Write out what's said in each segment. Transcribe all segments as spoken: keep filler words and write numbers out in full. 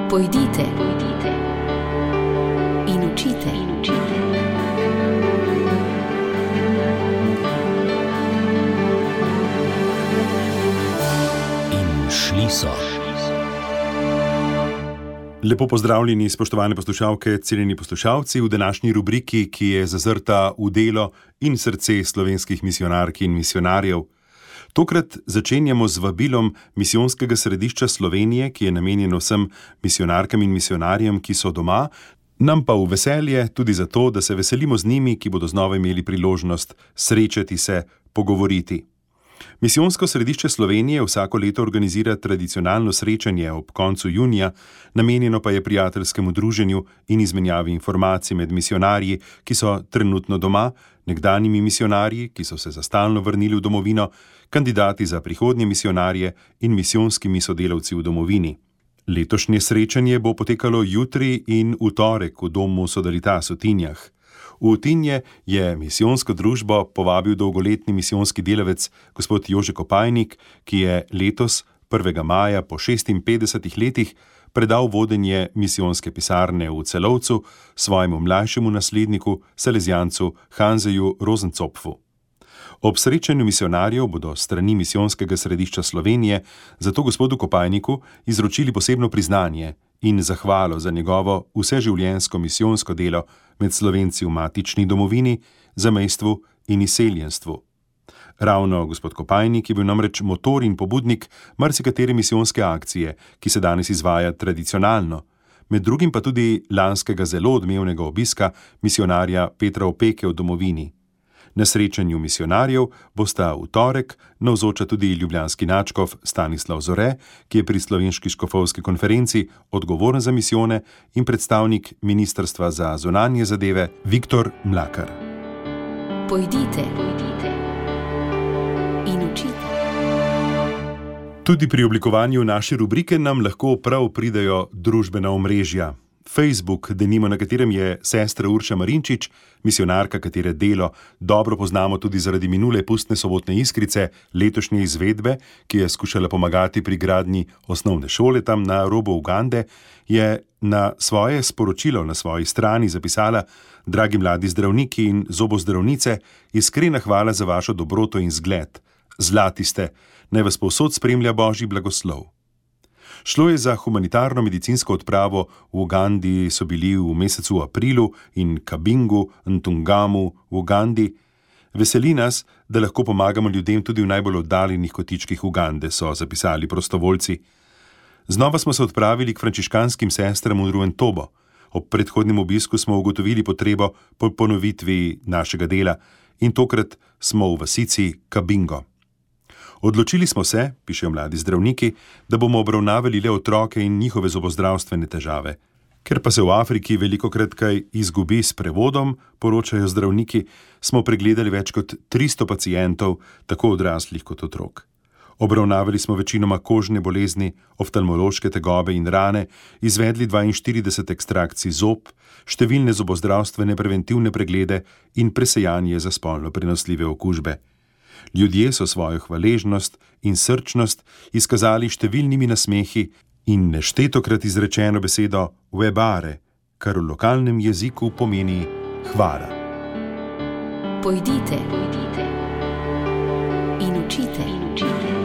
Pojdite, pojdite in učite, in učite. In šli so. Lepo pozdravljeni, spoštovane poslušalke, cenjeni poslušalci, v današnji rubriki, ki je zazrta v delo in srce slovenskih misijonark in misijonarjev. Tokrat začenjamo z vabilom Misijonskega središča Slovenije, ki je namenjeno vsem misijonarkam in misijonarjem, ki so doma, nam pa v veselje tudi zato, da se veselimo z njimi, ki bodo znova imeli priložnost srečati se, pogovoriti. Misijonsko središče Slovenije vsako leto organizira tradicionalno srečanje ob koncu junija, namenjeno pa je prijateljskemu druženju in izmenjavi informacij med misijonarji, ki so trenutno doma, nekdanjimi misijonarji, ki so se za stalno vrnili v domovino, kandidati za prihodnje misijonarje in misijonskimi sodelavci v domovini. Letošnje srečanje bo potekalo jutri in v torek v domu Sodalitas v Tinjah. V Tinje je misijonsko družbo povabil dolgoletni misijonski delavec gospod Jože Kopajnik, ki je letos prvega maja po šestinpetdesetih letih predal vodenje misijonske pisarne v Celovcu svojemu mlajšemu nasledniku, salezijancu Hanzeju Rozencopfu. Ob srečanju misijonarjev bodo strani Misijonskega središča Slovenije zato gospodu Kopajniku izročili posebno priznanje in zahvalo za njegovo vseživljenjsko misijonsko delo med Slovenci v matični domovini, zamejstvu in izseljenstvu. Ravno gospod Kopajnik je bil namreč motor in pobudnik marsikatere misijonske akcije, ki se danes izvaja tradicionalno, med drugim pa tudi lanskega zelo odmevnega obiska misijonarja Petra Opeke v domovini. Na srečanju misijonarjev bosta v torek navzoča tudi ljubljanski nadškof Stanislav Zore, ki je pri Slovenski škofovski konferenci odgovoren za misijone, in predstavnik Ministrstva za zunanje zadeve Viktor Mlakar. Pojdite, pojdite in učite. Tudi pri oblikovanju naše rubrike nam lahko prav pridejo družbena omrežja. Facebook, denimo, na katerem je sestra Urša Marinčič, misijonarka, katere delo dobro poznamo tudi zaradi minule pustne sobotne iskrice, letošnje izvedbe, ki je skušala pomagati pri gradnji osnovne šole tam na robu Ugande, je na svoje sporočilo na svoji strani zapisala: Dragi mladi zdravniki in zobozdravnice, iskrena hvala za vašo dobroto in zgled. Zlati ste, naj vas povsod spremlja Božji blagoslov. Šlo je za humanitarno medicinsko odpravo. V Ugandi so bili v mesecu aprilu in Kabingu, Ntungamu v Ugandi. Veseli nas, da lahko pomagamo ljudem tudi v najbolj oddaljenih kotičkih Ugande, so zapisali prostovoljci. Znova smo se odpravili k frančiškanskim sestram v Ruentobo. Ob predhodnem obisku smo ugotovili potrebo po ponovitvi našega dela in tokrat smo v vasici Kabingo. Odločili smo se, pišejo mladi zdravniki, da bomo obravnavali le otroke in njihove zobozdravstvene težave. Ker pa se v Afriki velikokrat kaj izgubi s prevodom, poročajo zdravniki, smo pregledali več kot tristo pacientov, tako odraslih kot otrok. Obravnavali smo večinoma kožne bolezni, oftalmološke tegobe in rane, izvedli dvainštirideset ekstrakcij zob, številne zobozdravstvene preventivne preglede in presejanje za spolno prenosljive okužbe. Ljudje so svojo hvaležnost in srčnost izkazali številnimi nasmehi in neštetokrat izrečeno besedo webare, kar v lokalnem jeziku pomeni hvala. Pojdite, pojdite in učite, in učite.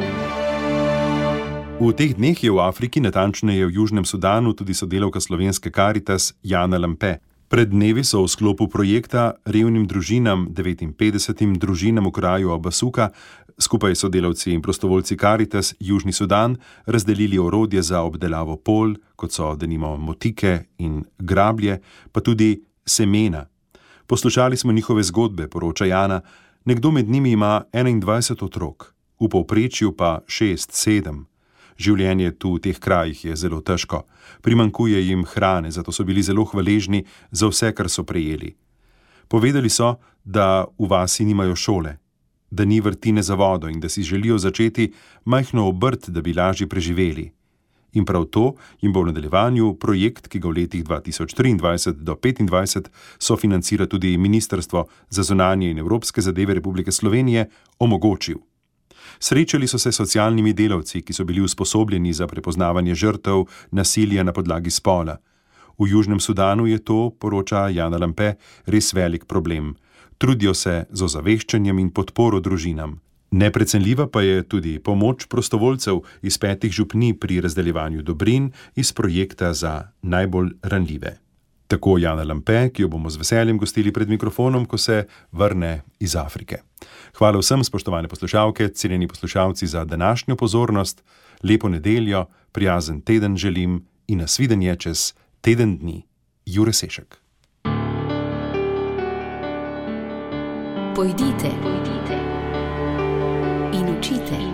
V teh dneh je v Afriki, natančneje v Južnem Sudanu, tudi sodelavka slovenske Karitas Jana Lampe. Pred dnevi so v sklopu projekta revnim družinam, devetinpetdesetim družinam v kraju Abasuka, skupaj s sodelavci in prostovoljci Karitas Južni Sudan razdelili orodje za obdelavo polj, kot so denimo motike in grablje, pa tudi semena. Poslušali smo njihove zgodbe, poroča Jana. Nekdo med njimi ima enaindvajset otrok, v povprečju pa šest, sedem. Življenje tu v teh krajih je zelo težko. Primanjkuje jim hrane, zato so bili zelo hvaležni za vse, kar so prejeli. Povedali so, da v vasi nimajo šole, da ni vrtine za vodo in da si želijo začeti majhno obrt, da bi lažje preživeli. In prav to jim bo v nadaljevanju projekt, ki ga v letih dva tisoč triindvajset do petindvajset sofinancira tudi Ministrstvo za zunanje in evropske zadeve Republike Slovenije, omogočil. Srečali so se s socialnimi delavci, ki so bili usposobljeni za prepoznavanje žrtev nasilja na podlagi spola. V Južnem Sudanu je to, poroča Jana Lampe, res velik problem. Trudijo se z ozaveščanjem in podporo družinam. Neprecenljiva pa je tudi pomoč prostovoljcev iz petih župnij pri razdeljevanju dobrin iz projekta za najbolj ranljive. Tako Jana Lampe, ki jo bomo z veseljem gostili pred mikrofonom, ko se vrne iz Afrike. Hvala vsem, spoštovane poslušalke, cenjeni poslušalci, za današnjo pozornost. Lepo nedeljo, prijazen teden želim in nasvidenje čez teden dni. Jure Sešek. Pojdite, pojdite in učite.